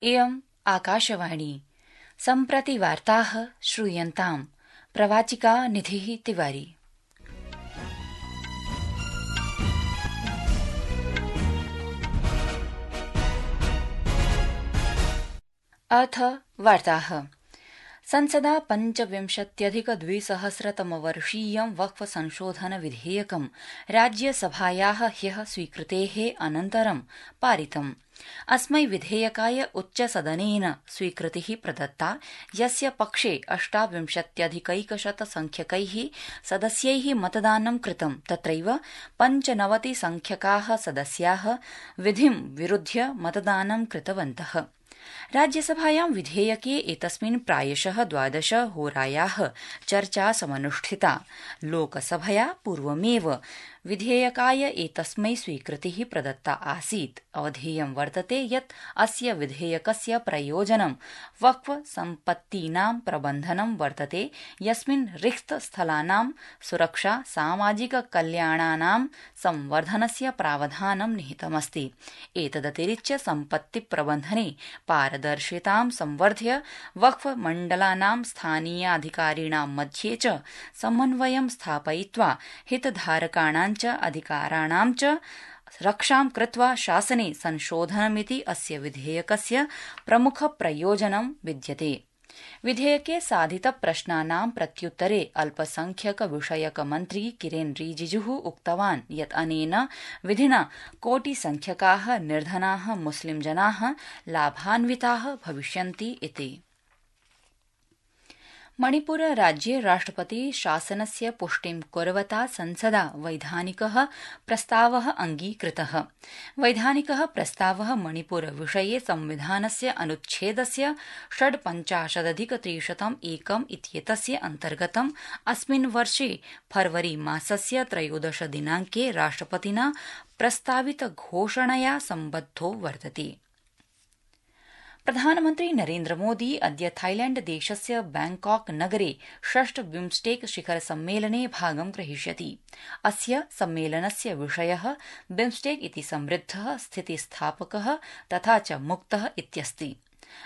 इयम् आकाशवाणी सम्प्रति वार्ताः श्रूयन्ताम् प्रवाचिका निधिः तिवारी। अथ वार्ताः। संसदा 25,200-तमवर्षीयं वक्फ संशोधन विधेयकं राज्यसभायाः ह्यः स्वीकृतेः अनन्तरं पारितम्। अस्मै विधेयकाय उच्चसदनेन स्वीकृतिः प्रदत्ता, यस्य पक्षे 28,100 संख्यकैः सदस्यैः मतदानं कृतं। तत्रैव 95 संख्यकाः सदस्याः विधिं विरुध्य मतदानं कृतवन्तः। राज्यसभायां विधेयके एतस्मिन् प्रायशः 12 होरायाः चर्चा समनुष्ठिता। लोकसभया पूर्वमेव विधेयकाय एतस्मै स्वीकृतिः प्रदत्ता आसीत्। अवधेयं वर्तते यत् अस्य विधेयकस्य प्रयोजनं वक्फ सम्पत्तीनां प्रबन्धनं वर्तते, यस्मिन् रिक्तस्थलानां सुरक्षा, सामाजिक कल्याणानां संवर्धनस्य प्रावधानं निहितमस्ति। एतदतिरिच्य सम्पत्ति प्रबन्धने पारदर्शितां संवर्ध्य वक्फ मण्डलानां स्थानीयाधिकारिणां मध्ये च समन्वयं स्थापयित्वा हितधारकाणां च अधिकाराणां च रक्षां कृत्वा शासने संशोधनमिति अस्य विधेयकस्य प्रमुख प्रयोजनं विद्यते। विधेयके साधितप्रश्नानां प्रत्युत्तरे अल्पसंख्यक विषयक मन्त्री किरेन रिजिजुः उक्तवान् यत् अनेन विधिना कोटिसंख्यकाः निर्धनाः मुस्लिम जनाः लाभान्विताः भविष्यन्ति इति। मणिपुर राज्ये राष्ट्रपति शासनस्य पुष्टिं कुर्वता संसदा वैधानिकः प्रस्तावः अङ्गीकृतः। वैधानिकः प्रस्तावः मणिपुर विषये संविधानस्य अनुच्छेदस्य 55,301 इत्येतस्य अन्तर्गतम् अस्मिन् वर्षे फरवरी मासस्य 13 दिनाङ्के राष्ट्रपतिना प्रस्तावित घोषणया सम्बद्धो वर्तते। प्रधानमन्त्री नरेन्द्रमोदी अद्य थाईलैण्ड देशस्य बैंकॉक नगरे 6 बिम्स्टेक शिखर सम्मेलने भागं ग्रहीष्यति। अस्य सम्मेलनस्य विषयः बिम्स्टेक इति समृद्धः, स्थितिस्थापकः तथा च मुक्तः इत्यस्ति।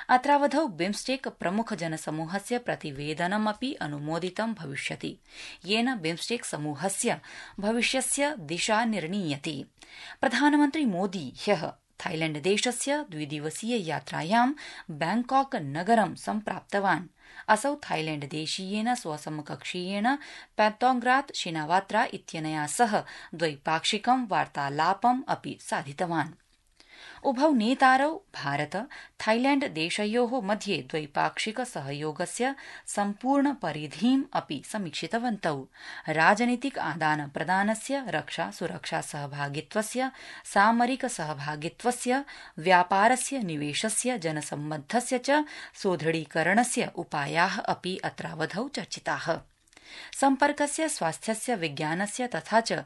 अत्रावधौ बिम्स्टेक प्रमुख जनसमूहस्य प्रतिवेदनमपि अनुमोदितं भविष्यति, येन बिम्स्टेक समूहस्य भविष्यस्य दिशा निर्णीयते। प्रधानमन्त्री मोदी ह्यः थाईलैण्ड देशस्य 2 दिवसीय यात्रायां बैंकॉक नगरं सम्प्राप्तवान्। असौ थाईलैण्ड देशीयेन स्वसमकक्षीयेन पैटोंग्रात शिनावात्रा इत्यनया सह द्वैपाक्षिकं वार्तालापम् अपि साधितवान्। उभौ नेतारौ भारत थाईलैण्ड देशयोः मध्ये द्वैपाक्षिक सहयोगस्य सम्पूर्ण परिधिम् अपि समीक्षितवन्तौ। राजनीतिक आदान प्रदानस्य, रक्षा सुरक्षा सहभागित्वस्य, सामरिक सहभागित्वस्य, व्यापारस्य, निवेशस्य, जनसम्बद्धस्य च सुदृढीकरणस्य उपायाः अपि अत्रावधौ चर्चिताः। सम्पर्कस्य, स्वास्थ्यस्य, विज्ञानस्य तथा च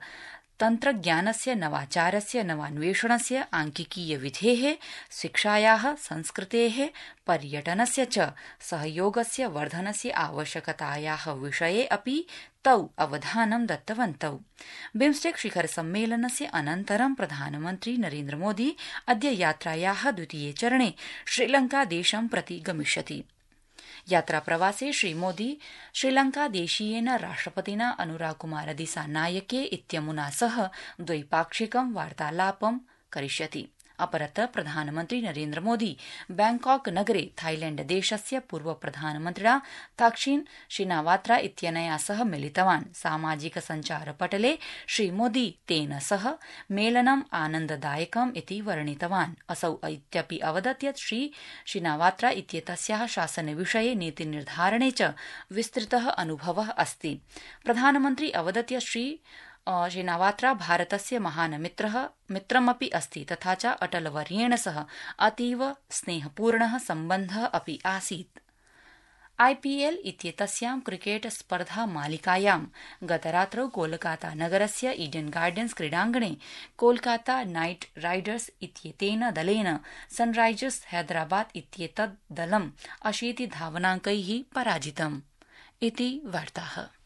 तन्त्रज्ञानस्य, नवाचारस्य, नवान्वेषणस्य, आंकिकीय विधेः, शिक्षायाः, संस्कृतेः, पर्यटनस्य च सहयोगस्य वर्धनस्य आवश्यकतायाः विषये अपि तौ अवधानं दत्तवन्तौ। बिम्स्टेक शिखर सम्मेलनस्य अनन्तरं प्रधानमन्त्री नरेन्द्रमोदी अद्य यात्रायाः द्वितीये चरणे श्रीलंका देशं प्रति गमिष्यति। यात्राप्रवासे श्रीमोदी श्रीलंकादेशीयेन राष्ट्रपतिना अनुराकुमार दिसानायके इत्यमुना सह द्वैपाक्षिकं वार्तालापं करिष्यति। अपरत्र प्रधानमन्त्री नरेन्द्रमोदी बैंकॉक नगरे थाईलैण्ड देशस्य पूर्व प्रधानमन्त्रिणा थाक्सिन शिनावात्रा इत्यनया सह मिलितवान्। सामाजिक सञ्चारपटले श्रीमोदी तेन सह मेलनम् आनन्ददायकम् इति वर्णितवान्। असौ इत्यपि अवदत् यत् श्री शिनावात्रा इत्येतस्याः शासनविषये नीतिनिर्धारणे च विस्तृतः अनुभवः अस्ति। प्रधानमन्त्री अवदत् यत् श्री शिनावात्रा भारतस्य महान् मित्रमपि अस्ति तथा च अटलवर्येण सह अतीव स्नेहपूर्णः सम्बन्धः अपि आसीत्। आईपीएल इत्येतस्यां क्रिकेट स्पर्धा मालिकायां गतरात्रौ कोलकाता नगरस्य ईडन गार्डन्स क्रीडाङ्गणे कोलकाता नाइट राइडर्स इत्येतेन दलेन सनराइजर्स हैदराबाद इत्येतद् दलं 80 धावनाङ्कैः पराजितम्। इति वार्ताः।